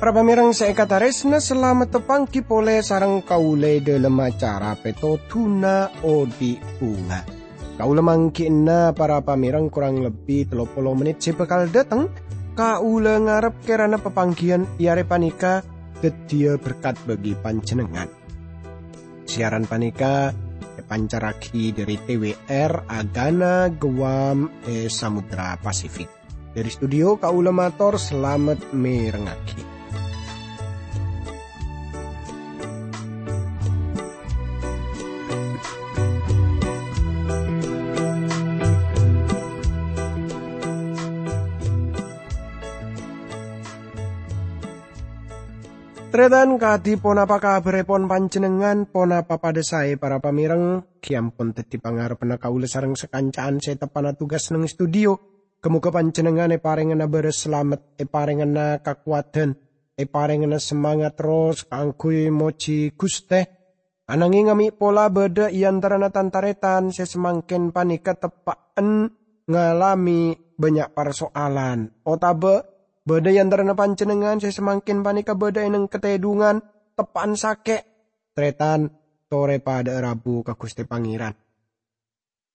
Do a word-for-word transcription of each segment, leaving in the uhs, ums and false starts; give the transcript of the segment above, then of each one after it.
Para pamèreng sè èkatarèsna, salamet tapangghi polè sareng kaulâ è dhâlem acara Pètodhuna Odi' Bhunga. Kaulâ mangghi'na para pamèreng korang lebbi tello polo mennit sè bhâkal dhâteng. Kaulâ ngarep kèrana papangghiyân è arè panèka dhâddhiyâ berkat bagi panjhennengngan. Siaran panèka èpancarraghi dhâri T W R Agana Guam è Samudra Pasifik. Dhâri studio kaulâ mator salamet mèrengngaghi. Tarètan, kadhi ponapa kabhârèpon panjhennengngan? Ponapa padâ saè, para pamèreng? Ghi' ampon dhâddhi pangarebbhânna kaulâ sareng sakanca'an sè teppa'na tugas neng studio. Ghâ-mogâ panjhennengngan èparèngana bârâs salamet, èparèngana kakowadhân, èparèngana samangat terros kaangghuy mojhi Ghustè. Ananghing amè' pola bâdâ è antarana tan-tarètan sè samangkèn panèka teppa'en ngalamè bânnya' parso'alan, otabâ bâdâ è antarana panjhennengngan sè samangkèn panèka bâdâ è neng katèdhungan, teppa'en sakè'. Tarètan, torè padâ'â rabu ka Ghustè Pangèran.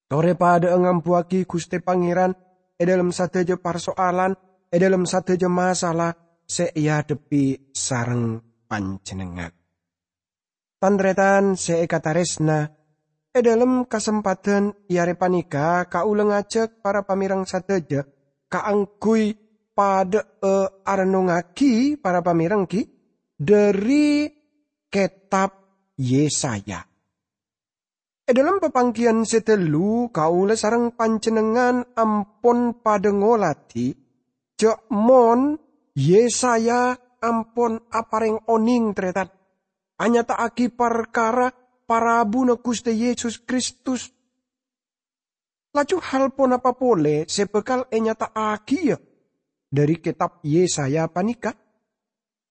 Torè padâ'â ngambuwâghi Ghustè Pangèran è dhâlem sadhâjâ parso'alan, è dhâlem sadhâjâ masalah sè èadhebbhi sareng panjhennengngan. Tan-tarètan sè èkatarèsna, è dhâlem kasempadhân è arè panèka kaulâ ngajhâk para pamèreng sadhâjâ kaangghuy padâ'â arennongngaghi, para pamèreng, ghi, dhâri kètab Yesaya. È dhâlem papangghiyân sè ghâllu, kaulâ sareng panjhennengngan ampon padâ ngoladhi jhâ' mon Yesaya ampon aparèng onèng, tarètan, anyata'aghi parkara parabuna Ghustè Yesus Kristus. Laju hal ponapa polè sè bhâkal ènyata'aghiyâ dhâri kètab Yesaya panèka?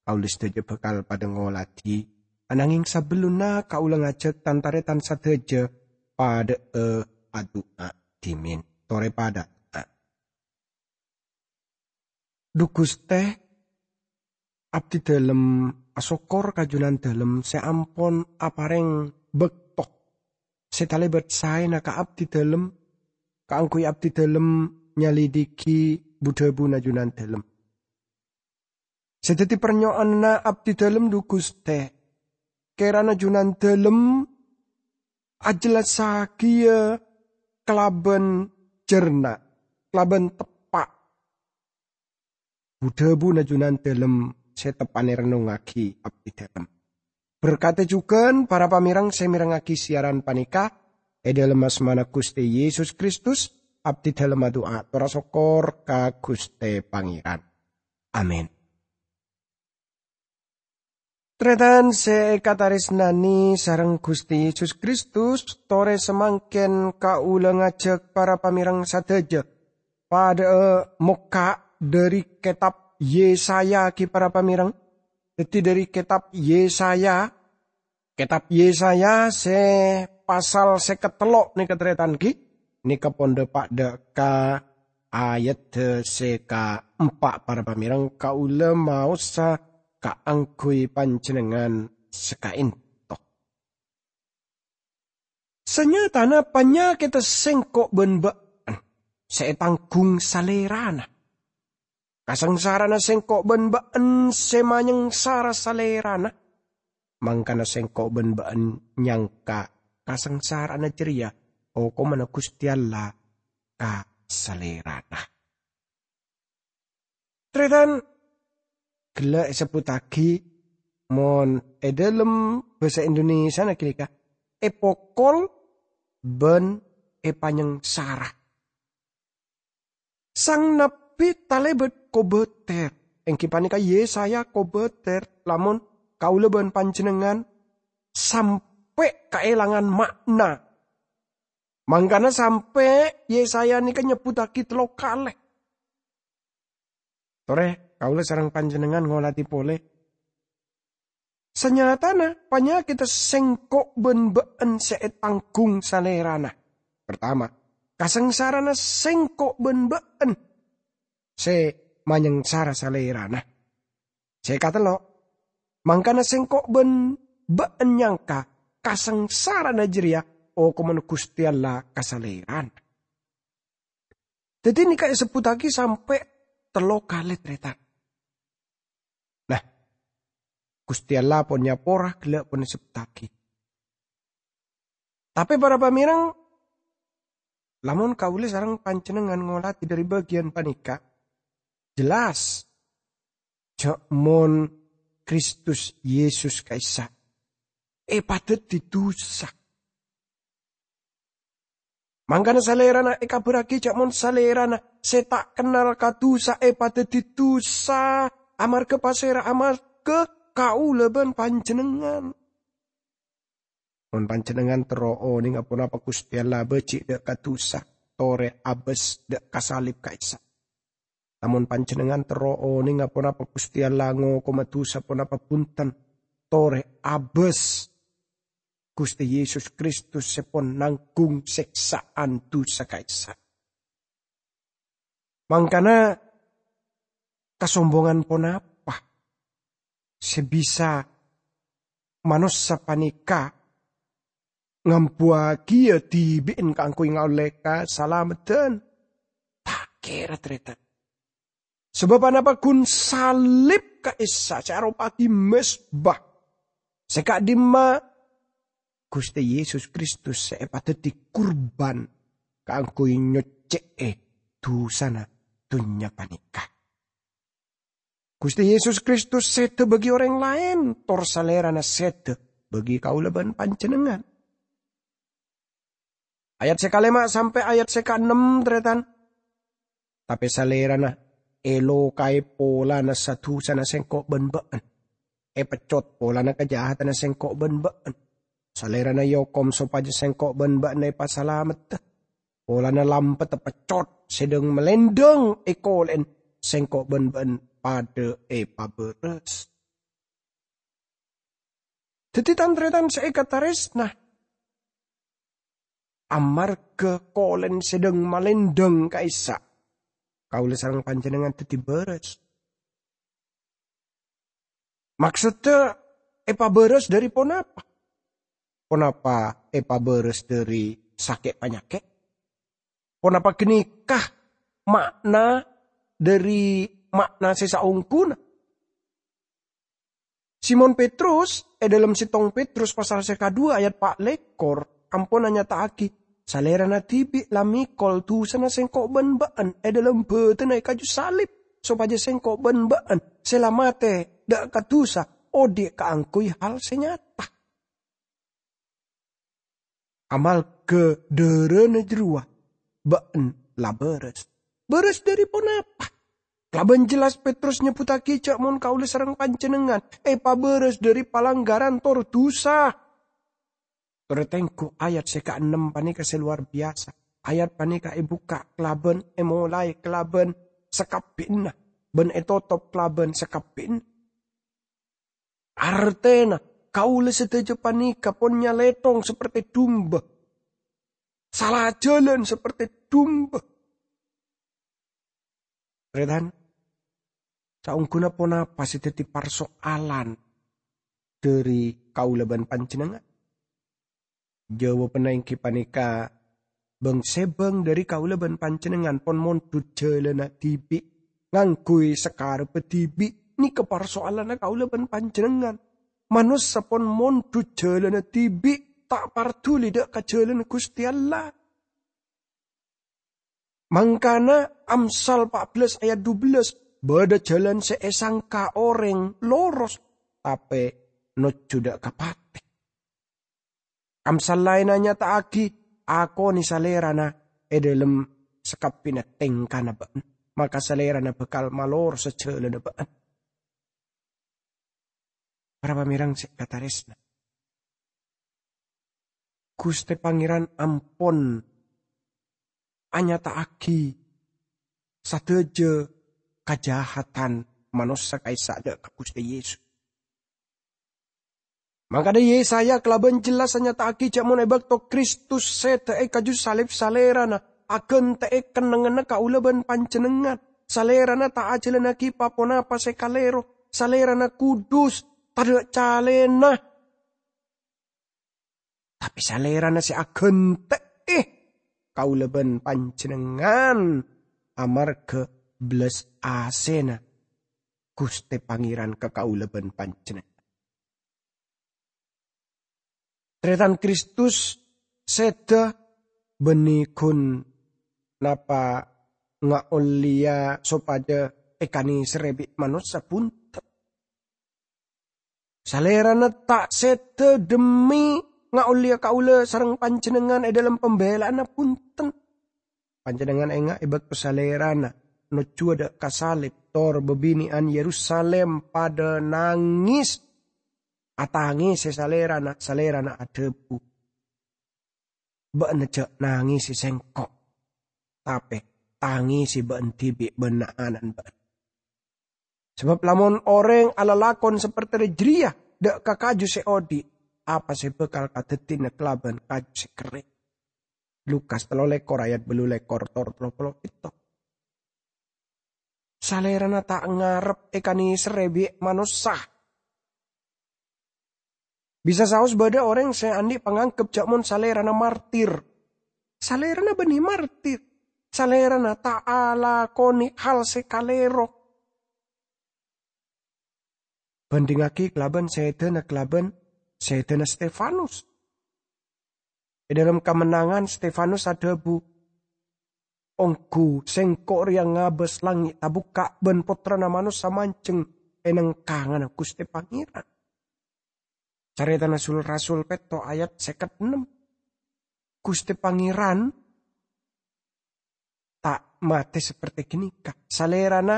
Kaulâ sadhâjâ bhâkal padâ ngoladhi, ananghing sabellunna kaulâ ngajhâk tan-tarètan sadhâjâ padâ'â adu'a dhimèn. Torè padâ adu'a. Dhu Ghustè, abdhidhâlem asokkor ka Jhunandhâlem sè ampon aparèng bâkto sè talèbât saèna ka abdhidhâlem, kaangghuy abdhidhâlem nyalidhighi bu-dhâbuna Jhunandhâlem. Sè dhâddhi parnyo'onna abdhidhâlem, dhu Ghustè, kèrana Jhunandhâlem ajhellassaghiyâ kalabân jhârna, kalabân teppa'. Bu-dhâbuna Jhunandhâlem sè teppa'na èrennongngaghi abdhidhâlem. Berkadhi jhughân para pamèreng sè mèrengngaghi siaran panèka, è dhâlem asmana Ghustè Yesus Kristus, abdhidhâlem adu'a tor asokkor ka Ghustè Pangèran. Amin. Tarètan sè èkatarèsnanè sareng Ghustè Yesus Kristus, torè samangkèn kaulâ ngajhâk para pamèreng sadhâjâ padâ'â mokka' dhâri kètab Yesaya, ghi, para pamèreng. Dhâddhi, dhâri kètab Yesaya, kètab Yesaya sè pasal sèket tello' nèka, tarètan, ghi, nèka pon dhâpa' dhâ' ka ayadda sè kaempa', para pamèreng, kaulâ maosa kaangghuy panjhennengngan sakaènto. Sanyatana panyakèdda sèngko' bân bâ'na sè ètangghung Salèrana. Kasangsara'anna sèngko' bân bâ'na sè manyangsara Salèrana. Mangkana sèngko' bân bâ'na nyangka kasangsara'anna jârèya hokomma Ghustè Allah ka Salèrana. Tarètan, ghellâ' èsebbhuttaghi mon è dhâlem bhâsa Indonesiana ghânèka, èpokol bân èpanyangsara. Sang nabbhi talèbât kobâtèr, èngghi panèka Yesaya kobâtèr, lamon kaulâ bân panjhennengngan sampè' kaèlangan ma'na. Mangkana sampè' Yesaya nèka nyebbhuttaghi tello kalè. Torè, kaulâ sareng panjhennengngan ngoladhi polè. Sanyatana panyakèdhâ sèngko' bân bâ'ân sè ètangghung Salèrana. Partama, kasangsarana sèngko' bân bâ'ân sè manyangsara Salèrana. Sè katello', mangkana sèngko' bân bâ'ân nyangka kasangsarana jârèya okomanna Ghustè Allah ka Salèrana. Dhâddhi nèka èsebbhuttaghi sampè' tello kalè, tarètan. Nah, Ghustè Allah pon nyapora ghellâ' pon èsebbhuttaghi. Tapè para pamèreng, lamon kaulâ sareng panjhennengngan ngolatè dhâri bâgiyân panèka, jelas jhâ' mon Kristus Yesus ka'issa' èpadhâddhi dhusa. Mangkana Salèrana èkabhârraghi jhâ' mon Salèrana sè ta' kennal ka dhusa èpadhâddhi dhusa. Amarghâ pasèra? Amarghâ kaulâ bân panjhennengngan. Mon panjhennengngan terro onènga ponapa Ghustè Allah bâji' dhâ' ka dhusa, torè abâs dhâ' ka salib ka'issa'. Lamon panjhennengngan terro onènga ponapa Ghustè Allah ngokoma dhusa ponapa bhunten, torè abâs Ghustè Yesus Kristus sè pon nangghung sèksa'an dhusa ka'issa'. Mangkana, kasombongan ponapa sè bisa manossa panèka ngambuwâghiyâ dhibi'en kaangghuy ngaollè kasalameddhân? Ta' kèra, tarètan. Sabâb anapa? Ghun salib ka'issa' sè aropa'aghi mezba sè ka'dimma Ghustè Yesus Kristus sè èpadhâddhi kurban kaangghuy nyoccè'è dhusana dhunnya panèka. Ghustè Yesus Kristus sèdhâ bâgi orèng laèn, tor Salèrana sèdhâ bâgi kaulâ bân panjhennengngan. Ayat sè kalèma' sampè' ayat sè kaennem, tarètan. Tapè Salèrana èlokaè polana sa-dhusana sèngko' bân bâ'ân. Èpeccot polana kajahatanna sèngko' bân bâ'ân. Salèrana èokom sopajâ sèngko' bân bâ'ân èpasalameddhâ. Polana lampetta peccot, sèdhâng malèndhâng èkolè'èn, sèngko' bân bâ'ân padâ èpabârâs. Dhâddhi, tan-tarètan sè èkatarèsna, amarghâ kolèn sèdhâng malèndhâng ka'issa', kaulâ sareng panjhennengngan dhâddhi bârâs. Maksoddhâ èpabârâs dhâri ponapa? Ponapa èpabârâs dhâri sakè' panyakè'? Ponapa ghânèka ma'na dhâri ma'na sè saongghuna? Simon Petrus, è dhâlem Settong Petrus pasal sè kaduwâ ayat pa' lèkor, ampon anyata'aghi, Salèrana dhibi' la mèkol dhusana sèngko' bân bâ'ân è dhâlem bâdânna è kaju salib, sopajâ sèngko' bân bâ'ân sè la matè dhâ' ka dhusa, odi' kaangghuy hal sè nyata. Amarghâ dârâna jârowa, bâ'ân la bârâs. Bârâs dhâri ponapa? Kalabân jelas Petrus nyebbhuttaghi jhâ' mon kaulâ sareng panjhennengngan èpabârâs dhâri palanggaran tor dhusa. Torè tengghu ayat sè kaennem panèka sè lowar biyasa. Ayat panèka èbukka' kalabân, èmolaè kalabân sakabbhi'na, bân ètotop kalabân sakabbhi'na. Artèna, kaulâ sadhâjâ panèka pon nyalèthong sapertè dumba, sala jhâlân sapertè dumba. Tarètan, saongghuna ponapa sè dhâddhi parsoalan dhâri kaulâ bân panjhennengngan? Jawabanna èngghi panèka, bâng-sèbâng dhâri kaulâ bân panjhennengngan pon mondhut jhâlânna dhibi', ngangghuy sakarebbhâ dhibi'. Nèka parsoalanna kaulâ bân panjhennengngan. Manossa pon mondhut jhâlânna dhibi', ta' parduli dhâ' ka jhâlânna Ghustè Allah. Mangkana, Amsal pa' bellâs ayat dubellâs, bâdâ jhâlân sè èsangka orèng loros, tapè nojjhu dhâ' ka patè. Amsal laènna nyata'aghi, akonè Salèrana è dhâlem sakabbhina tèngkana bâ'na, maka Salèrana bhâkal malorosa jhâlânna bâ'na. Para pamèreng sè èkatarèsna, Ghustè Pangèran ampon anyata'aghi sadhâjâ kajahatan manossa ka'issa' dhâ' ka Ghustè Yesus. Mangkana Yesaya kalabân jelas anyata'aghi ja' mon e bâkto Kristus sèdhâ e kaju salib, Salèrana aghântè'è kennengnganna kaulâ bân panjhennengngan. Salèrana ta' ajhâlânnaghi pa-ponapa sè kalèro. Salèrana kudus, tadâ' calèna. Tapè Salèrana sè aghântè'è kaulâ bân panjhennengngan amarghâ bellas asèna Ghustè Pangèran ka kaulâ bân panjhennengngan. Tarètan Kristus sèdhâ bânnè ghun napa ngaollèya sopajâ èkanèserrè bi' manossa, bhunten. Salèrana ta' sèdhâ dhemmi ngaollèya kaulâ sareng panjhennengngan è dhâlem pambhâlâ'ânna, bhunten. Panjhennengngan enga' è bâkto Salèrana nojjhuwâ dâ' ka salib, tor bâbinè'an Yerusalem padâ nangès. Atangèsè Salèrana, Salèrana adhâbu, "Bâ'na jhâ' nangèsè sèngko', tapè tangèsè bâ'na dhibi' bân na'-ana'na bâ'na. Sabâb lamon orèng alalakon sapertèna jârèya dâ' ka kaju sè odi', apa sè bhâkal kadhâddhina kalabân kaju sè kerrèng?" Lukas tello lèkor ayat bâllu lèkor tor tello polo pètto. Salèrana ta' ngarep èkanèserrè bi' manossa. Bisa saos bâdâ orèng sè andi' panganggep jhâ' mon Salèrana martir. Salèrana bânnè martir. Salèrana ta' alakonè hal sè kalèro. Bhândhingngaghi kalabân sèdhâna kalabân sèdhâna Stefanus. È dhâlem kamennangan, Stefanus adhâbu, "Ongghu sèngko' rèya ngabâs langngè' tabukka' bân Pottrana Manossa manjheng è nengkanganna Ghustè Pangèran." Carètana Sul-Rasul pètto ayat sèket ennem. Ghustè Pangèran ta' matè sapertè ghânèka. Salèrana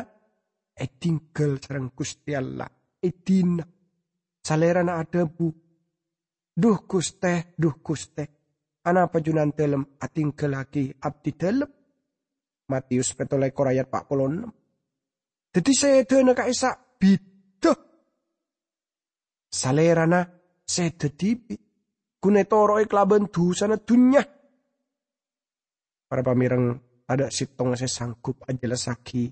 èdinggal sareng Ghustè Allah, èdina. Salèrana adhâbu, "Dhu Ghustè, dhu Ghustè, anapa Junandâlem adinggallaghi abdidâlem?" Matius pètto lèkor ayat pa' polo ennem. Dhâddhi sèdhâna ka'issa' bhidhâ. Salèrana sèdhâ dhibi', ghun ètoro'è kalabân dhusana dhunnya. Para pamèreng, tadâ' sèttonga sè sanggup ajhellassaghi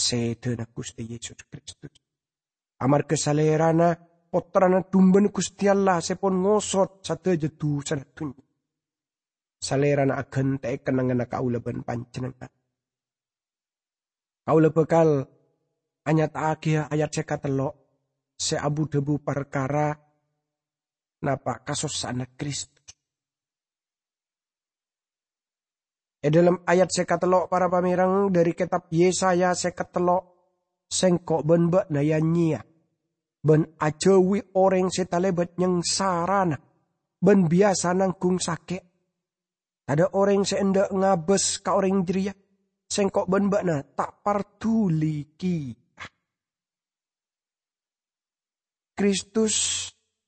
sèdhâna Ghustè Yesus Kristus. Amarghâ Salèrana Pottrana Dumbâna Ghustè Allah sè pon ngosot sadhâjâ dhusana dhunnya. Salèrana aghântè'è kennengnganna kaulâ bân panjhennengngan. Kaulâ bhâkal anyata'aghi ayat sè katello' sè abu-dhâbu parkara napa' kasossa'anna Kristus. È dhâlem ayat sè katello', para pamèreng, dhâri kètab Yesaya sè katello', "Sèngko' bân bâ'na ya-nyèya, bân ajhâuwi orèng sè talèbât nyangsarana, bân biyasa nangghung sakè'. Tadâ' orèng sè endâ' ngabâs ka orèng jârèya. Sèngko' bân bâ'na ta' parduli kèya." Kristus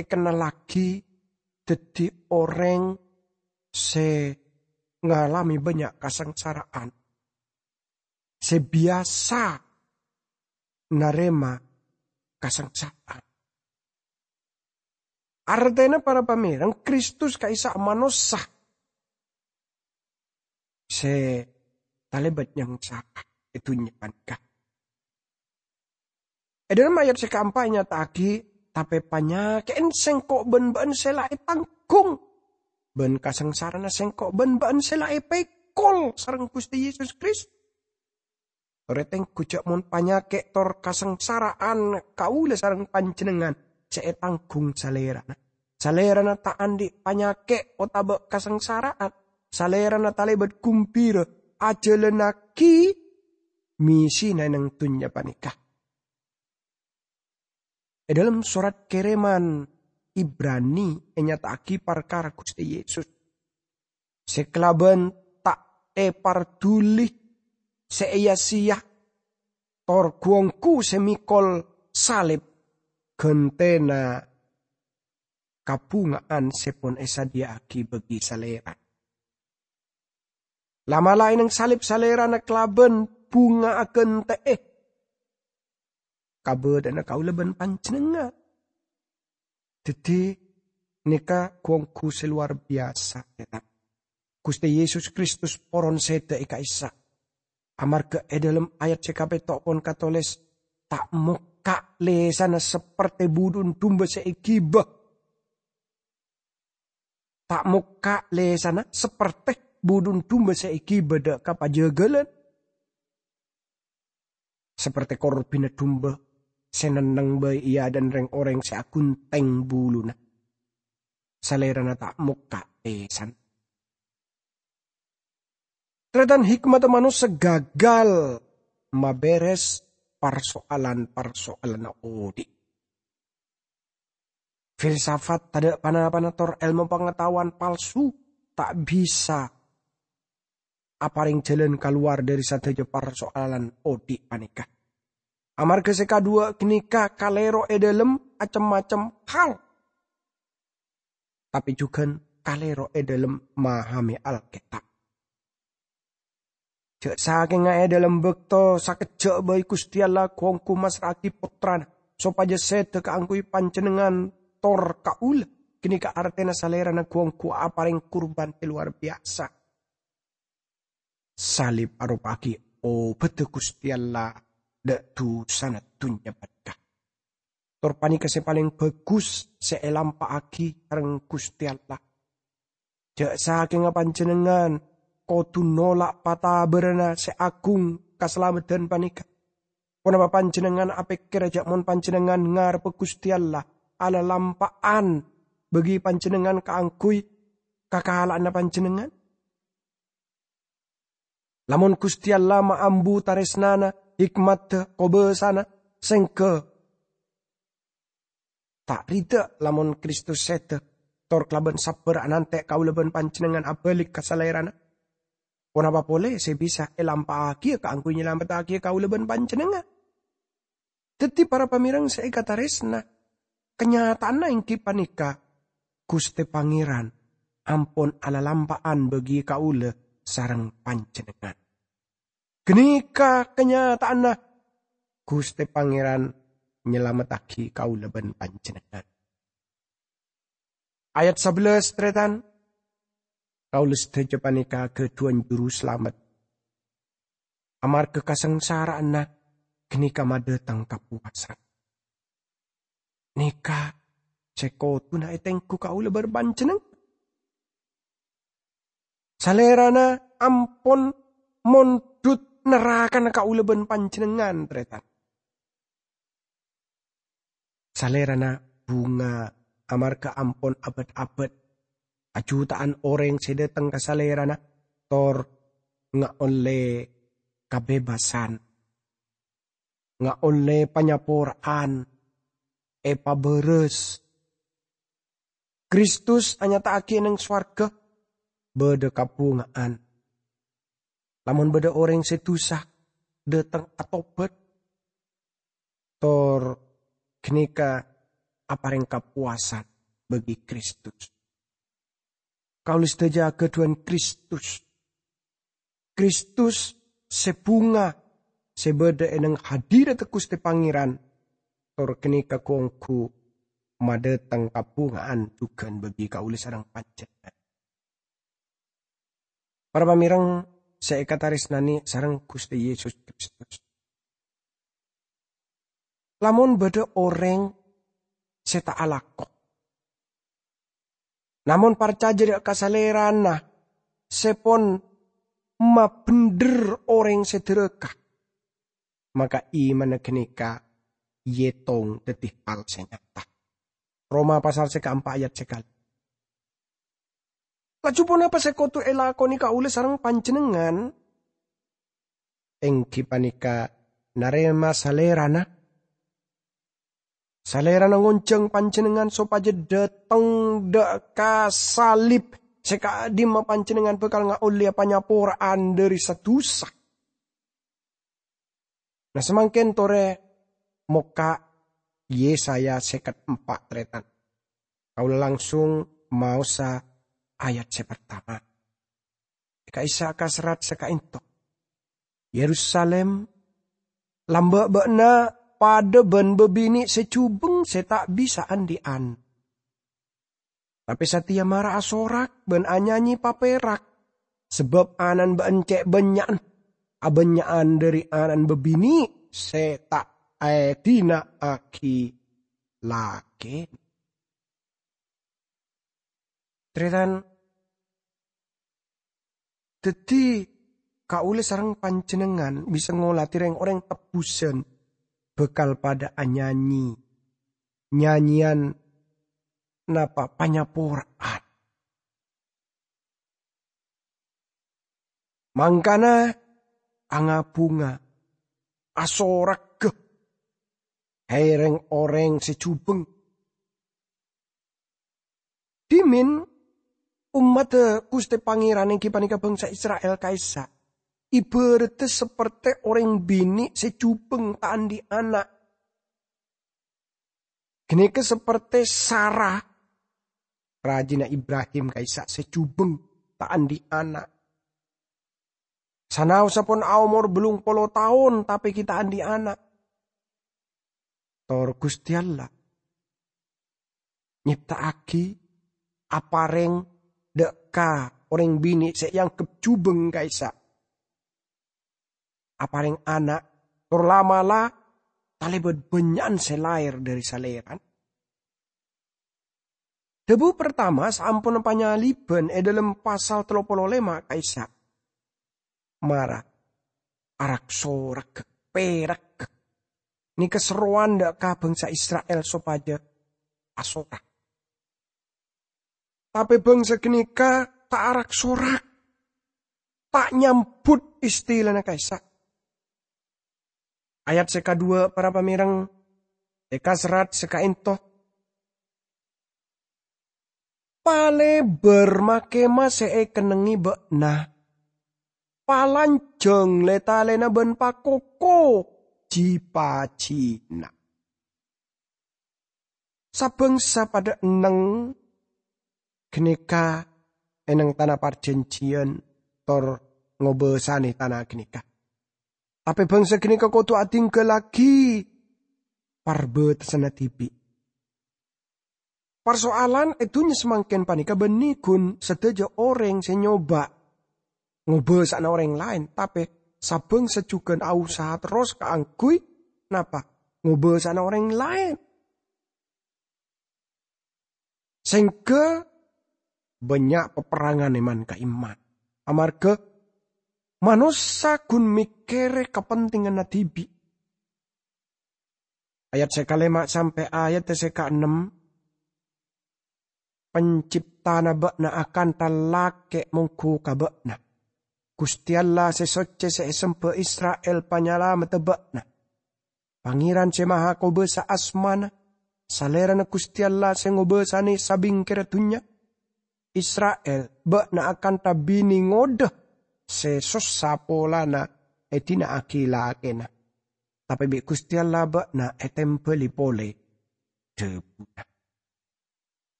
èkennallaghi dhâddhi orèng sè ngalamè bânnya' kasangsara'an, sè biyasa narèma kasangsara'an. Artèna, para pamèreng, Kristus ka'issa' manossa sè talèbât nyangsara è dhunnya panèka. È dhâlem ayat sè kaempa' ènyata'aghi, "Tapè panyakè'en sèngko' bân bâ'na sè la ètangghung, bân kasangsarana sèngko' bân bâ'na sè la èpèkol sareng Ghustè Yesus Kristus." Torè tengghu jhâ' mon panyakè' tor kasangsara'an kaulâ sareng panjhennengngan sè ètangghung Salèrana. Salèrana ta' andi' panyakè' otabâ kasangsara'an. Salèrana talèbât ghumbira ajhâlânnaghi missèna è neng dhunnya panèka. È dhâlem sorat kèrèman Ibrani ènyata'aghi parkara Ghustè Yesus sè kalabân ta' èparduli, sè èya-sèya, tor ghu-ongghu sè mèkol salib ghântèna kabhunga'an sè pon èsadhiyâ'aghi bagi Salèrana. La'-mala' è neng salib Salèrana kalabân bhunga aghântè'è kabâdâ'ânna kaulâ bân panjhennengngan. Dhâddhi, Nèka ghu-ongghu sè lowar biyasa, ya, ta? Ghustè Yesus Kristus poron sèdhâ è ka'issa'. Amarghâ è dhâlem ayat sè kapètto' pon katoles, "Ta' mokka' lèsanna sapertè budhun dumba sè èghibâ." Ta' mokka' lèsanna sapertè budhun dumba sè èghibâ dâ' ka pajâgâlân. Sapertè korbhina dumba sè nenneng bhâi è adâ'na rèng-orèng sè aghuntheng buluna, Salèrana ta' mokka' lèsanna. Tarètan, hikmadda manossa gagal mabèrès parsoalan-parsoalanna odi'. Filsafat tadâ' pa-napana tor èlmo pangataowan palsu ta' bisa aparèng jhâlân kalowar dhâri sadhâjâ parsoalan odi' panèka. Amarghâ sè kadhuwâ' ghânèka kalèro è dhâlem cem-macem hal, tapè jhughân kalèro è dhâlem mahamè Alkètab. Jhâ' sakènga è dhâlem bâkto sakejjhâ' bhâi Ghustè Allah ghu-ongghu massra'aghi Pottrana sopajâ sèdhâ kaangghuy panjhennengngan tor kaulâ, ghânèka artèna Salèrana ghu-ongghu aparèng kurban sè lowar biyasa. Salib aropa'aghi obâdhâ Ghustè Allah dâ' dhusana dhunnya panèka. Tor panèka sè palèng bhâghus sè èlampa'aghi sareng Ghustè Allah. Jhâ' sakènga panjhennengngan kodhu nola' patabârâna sè aghung kasalameddhân panèka. Ponapa panjhennengngan apèkkèr jhâ' mon panjhennengngan ngarebbhâ Ghustè Allah, alalampa'an bâgi panjhennengngan kaangghuy kakala'anna panjhennengngan? Lamon Ghustè Allah maambu tarèsnana, hikmadda, kobâsana, sèngghâ ta' rida lamon Kristus sèdhâ, tor kalabân sabbhâr anantè' kaulâ bân panjhennengngan abâli ka Salèrana. Ponapa polè sè bisa èlampa'aghiyâ kaangghuy nyalamettaghi kaulâ bân panjhennengngan? Dhâddhi, para pamèreng sè èkatarèsna, kanyataanna èngghi panèka, Ghustè Pangèran ampon alalampa'an bâgi kaulâ sareng panjhennengngan. Ghânèka kanyataanna, Ghustè Pangèran nyalamettaghi kaulâ bân panjhennengngan. Ayat sabellâs, tarètan, kaulâ sadhâjâ panèka ghâdhuwân Juru Salamet. Amarghâ kasangsara'anna ghânèka madhâteng kapowasan. Nèka sè kodhuna ètengghu kaulâ bân panjhennengngan. Salèrana ampon mondhut nerrakana kaulâ bân panjhennengngan, tarètan. Salèrana bhunga amarghâ ampon abât-abât. Ajhuta'an orèng sè dhâteng ka Salèrana tor ngaollè kabebasân, ngaollè panyapora'an, èpabârâs. Kristus anyata'aghi è neng sowarghâ bâdâ kabhunga'an. Lamon bâdâ orèng sè dhusa dhâteng atobât, tor ghânèka aparèng kapowasan bâgi Kristus. Kaulâ sadhâjâ aghâdhuwân Kristus. Kristus sè bhunga, sè bâdâ è neng hadirat Ghustè Pangèran, tor ghânèka ghu-ongghu madhâteng kabhunga'an jhughân bâgi kaulâ sareng panjhennengngan. Para pamèreng sè èkatarèsnanè sareng Ghustè Yesus Kristus. Lamon bâdâ orèng sè ta' alako, namong parcajâ dâ' ka Salèrana sè pon mabhendher orèng sè dhârâka, maka imanna ghânèka èyètong dhâddhi hal sè nyata. Roma pasal sè kaempa' ayat sè kali. Laju ponapa sè kodhu èlakonè kaulâ sareng panjhennengngan? Èngghi panèka narèma Salèrana. Salèrana ngonjhâng panjhennengngan sopajâ dhâteng dâ' ka salib sè ka'dimma panjhennengngan bhâkal ngaollèya panyapora'an dhâri sa-dhusa. Nah, samangkèn torè mokka' Yesaya sèket empa', tarètan. Kaulâ langsung maosa ayat sè partama. È ka'issa' ka serrat sè ka'ènto. Yerusalim, lambâ' bâ'na padâ bân bâbinè' sè jhubeng sè ta' bisa andi'an. Tapè satèya mara asorak bân anyanyè paperak, sabâb ana'na bâ'na cè' bânnya'an, abânnya'an dhâri ana'na bâbinè' sè ta' èdina'aghi lakèna. Tarètan, dhâddhi kaulâ sareng panjhennengngan bisa ngolatè rèng-orèng tebbhusân bhâkal padâ anyanyè nyanyèyan napa panyapora'an. Mangkana anga-bhunga, asoragghâ, hè, rèng-orèng sè jhubeng. Dhimèn ommaddhâ Ghustè Pangèran èngghi panèka bhângsa Isra'il ka'issa' èbhârâddhâ sapertè orèng binè' sè jhubeng ta' andi' ana'. Ghânèka sapertè Sara, rajina Ibrahim ka'issa' sè jhubeng ta' andi' ana'. Sanaossa pon aomor bâllung polo taon tapè ghi' ta' andi' ana'. Tor Ghustè Allah nyèpta'aghi, aparèng dâ' ka orèng binè' sè èangghep jhubeng ka'issa'. Aparèng ana', tor la'-mala' talèbât bânnya'an sè laèr dhâri salèrana. Dhâbu partama saamponna panyalibhân è dhâlem pasal tello polo lèma' ka'issa'. Mara, arak-sorak, perak. Nèka serrowan dâ' ka bhângsa Isra'il sopajâ asorak. Tapè bhângsa ghânèka ta' arak-sorak, ta' nyambhut istilana ka'issa'. Ayat sè kaduwâ', para pamèreng, èkaserrat sè ka'ènto. Palèbâr ma-kemah sè èkennengngè bâ'na. Palanjhâng lè-talèna bân pakoko ji-pajina. Sabângsa padâ enneng ghânèka è neng tana parjhânjhiyân tor ngobâsanè tana ghânèka. Tapè bângsa ghânèka kodhu adhinggâllaghi parbâtessanna dhibi'. Parsoalan è dhunnya samangkèn panèka bânnè ghun sadhâjâ orèng sè nyoba ngobâsana orèng laèn, tapè sabângsa jhughân ausaha terros kaangghuy napa? Ngobâsana orèng laèn. Sèngghâ bânnya' paperrangan è man-ka'imman, amarghâ manossa ghun mèkkèrè kapentinganna dhibi'. Ayat sè kalèma' sampè' ayat sè kaennem, Penciptana bâ'na akantha lakè' mongghu ka bâ'na. Ghustè Allah sè soccè sè èsembhâ Isra'il panyalameddhâ bâ'na. Pangèran sè Mahakobâsa asmana, Salèrana Ghustè Allah sè ngobâsanè sabingkèra dhunnya. Isra'il, bâ'na akantha binè ngodâ sè sossa polana èdina'aghi lakèna. Tapè bi' Ghustè Allah bâ'na ètèmbhâli polè dhâbuna.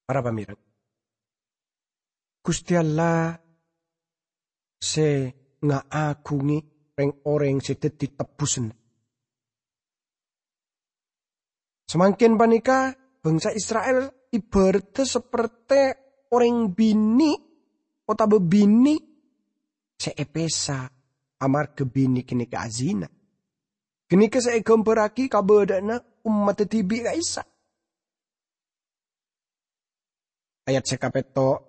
Para pamèreng, Ghustè Allah sè ngaaghungè rèng-orèng sè dhâddhi tebbhusânna. Samangkèn panèka, bângsa Isra'il ibhâraddhâ sapertè orèng binè' otabâ binè' sè èpèsa amarghâ binè' ghânèka azina. Ghânèka sè èghâmbhârraghi kabâdâ'ânna ommaddhâ dhibi' ka'issa'. Ayat sè kapètto',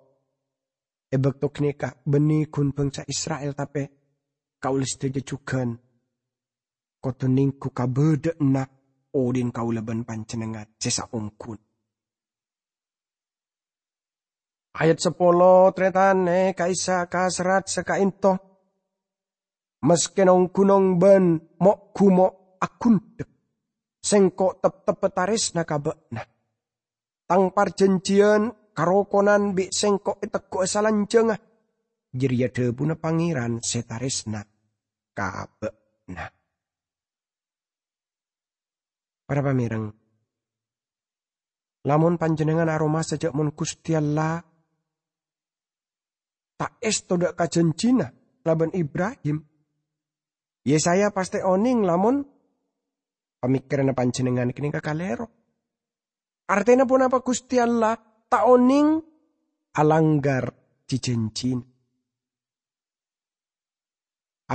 è bâkto ghânèka bânnè ghun bângsa Isra'il, tapè kaulâ sadhâjâ jhughân kodhu nèngghu kabâdâ'ânna odi'na kaulâ bân panjhennengngan sè saongghuna. Ayat sapolo, tarètan, è ka'issa' kaserrat sè ka'ènto. Maskè nong-ghunong bân mo'-ghumo' aghundhek, Sèngko' teptebbhâ tarèsna ka bâ'na. Tang parjhânjhiyân karokonan bi' Sèngko' ètegghu'â salanjhângnga, jârèya dhâbuna Pangèran sè tarèsna ka bâ'na. Para pamèreng, lamon panjhennengngan aromasa jâ' mon Ghustè Allah ta' èsto dâ' ka jhânjhina kalabân Ibrahim, Yesaya pastè onèng lamon pamèkkèranna panjhennengngan ghânèka kalèro. Artèna ponapa Ghustè Allah ta' onèng alangghâr ji-jhânjhina.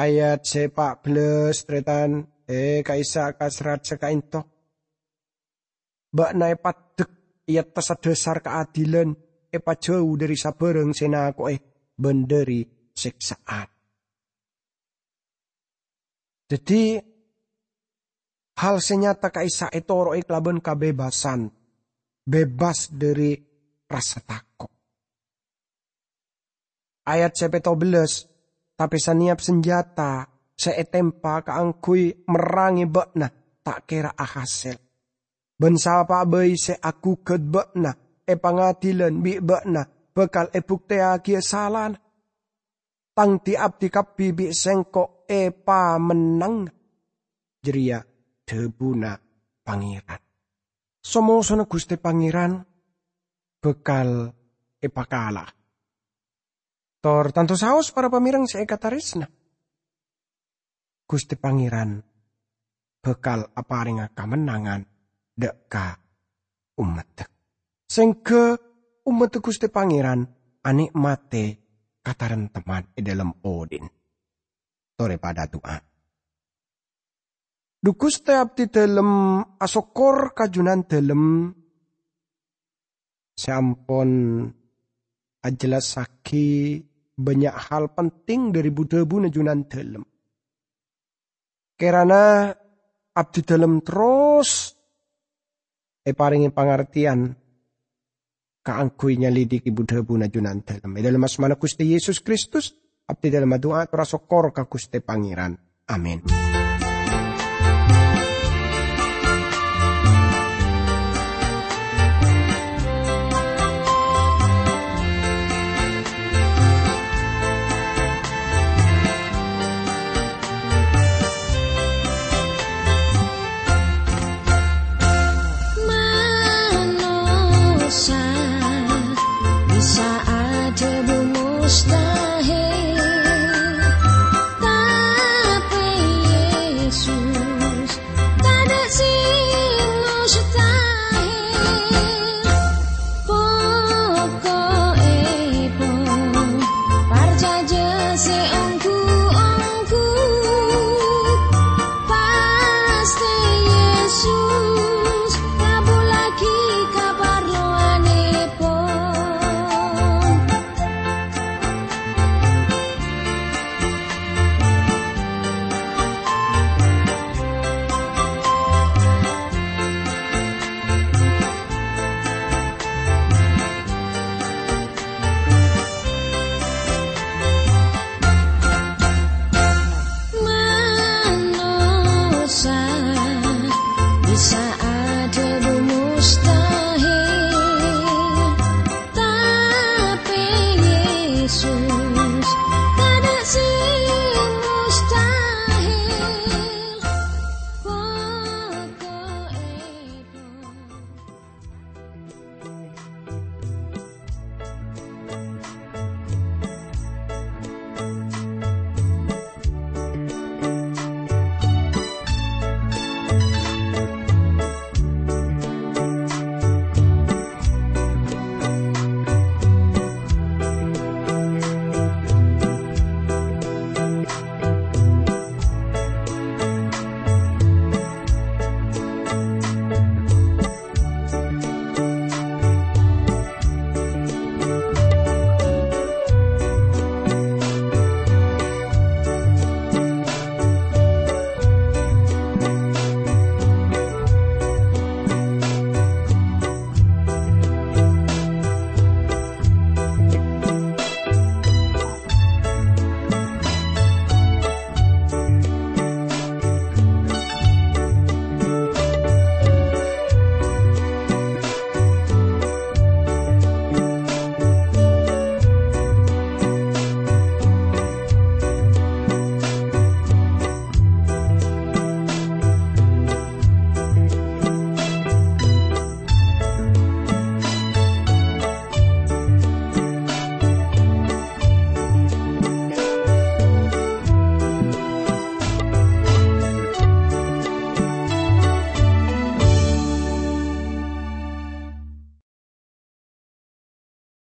Ayat sè pa' bellâs, tarètan, è, ka'issa' ka serrat sè ka'ènto. Bâ'na èpaddhek è attassa dhâsar kaadilan, èpajhâu dhâri sabârâng sè nako'è bân dhâri sèksa'an. Dhâddhi, hal sè nyata ka'issa' ètoro'è kalabân kabebassan, bebas dhâri rassa tako'. Ayat sè pètto bellâs, "Tapè sanèyap sanjhâta sè ètempa kaangghuy merrangè bâ'na ta' kèra ahasèl. Bân sapa'a bhâi sè aghugghât bâ'na è pangadilan bi' bâ'na bhâkal èbuktèyaghiyâ salana. Tang di-abdi kabbhi bi' Sèngko' èpamennang." Jârèya dhâbuna Pangèran. So-mosona Ghustè Pangèran bhâkal èpakala'a. Tor tanto saos para pamèreng sè èkatarèsna. Ghustè Pangèran bhâkal aparènga kamennangan dâ' ka ommaddhâ. Sèngghâ ommaddhâ Ghustè Pangèran anè'matè kataremtemman è dhâlem odhi'na. Torè padâ du'a. Dhu Ghustè, abdhi dhâlem asokkor ka Junandhâlem sè ampon ajhellassaghi bânnya' hal penting dhâri bu-dhâbuna Junandhâlem. Kèrana abdhi dhâlem terros èparèngè pangartèyan kaangghuy nyalidiki bu-dhâbuna Junandhâlem. È dhâlem asmana Ghustè Yesus Kristus, abdhi dhâlem adu'a tor asokkor ka Ghustè Pangèran. Amin.